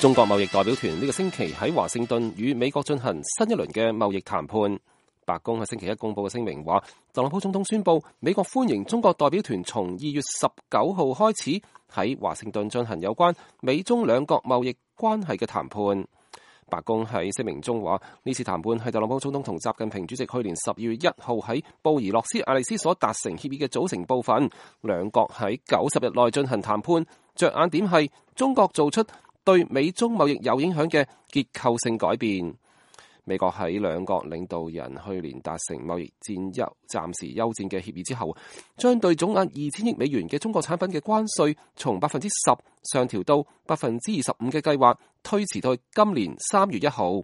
中國貿易代表團呢個星期喺華盛頓與美國進行新一輪嘅貿易談判。白宮喺星期一公布嘅聲明話，特朗普總統宣布美國歡迎中國代表團從2月19號開始喺華盛頓進行有關美中兩國貿易關係嘅談判。白宮喺聲明中話，呢次談判係特朗普總統同習近平主席去年12月1號喺布宜諾斯艾利斯所達成協議嘅組成部分。兩國喺90日內進行談判，着眼點係中國做出對美中貿易有影響嘅結構性改變。美國喺兩國領導人去年達成貿易暫時休戰嘅協議之後，將對總額2000億美元嘅中國產品嘅關稅從10%上調到25%嘅計劃推遲到今年3月1號。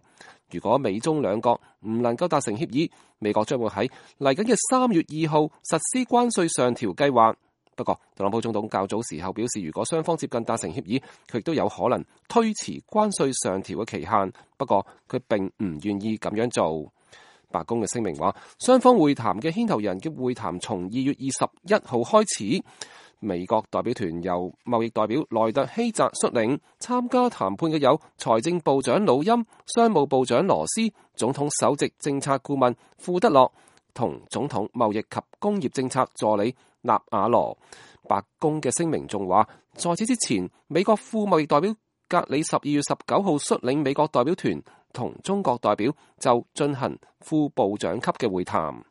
如果美中兩國唔能夠達成協議，美國將會喺嚟緊嘅3月2號實施關稅上調計劃。不過，特朗普總統較早時候表示，如果雙方接近達成協議，佢亦都有可能推遲關稅上調嘅期限。不過，佢並唔願意咁樣做。白宮嘅聲明話，雙方會談嘅牽頭人嘅會談從2月21號開始。美國代表團由貿易代表萊特希澤率領，參加談判嘅有財政部長魯欽、商務部長羅斯、總統首席政策顧問庫德洛同總統貿易及工業政策助理納瓦羅。白宮嘅聲明仲話，在此之前，美國副貿易代表格里12月19號率領美國代表團同中國代表就進行副部長級嘅會談。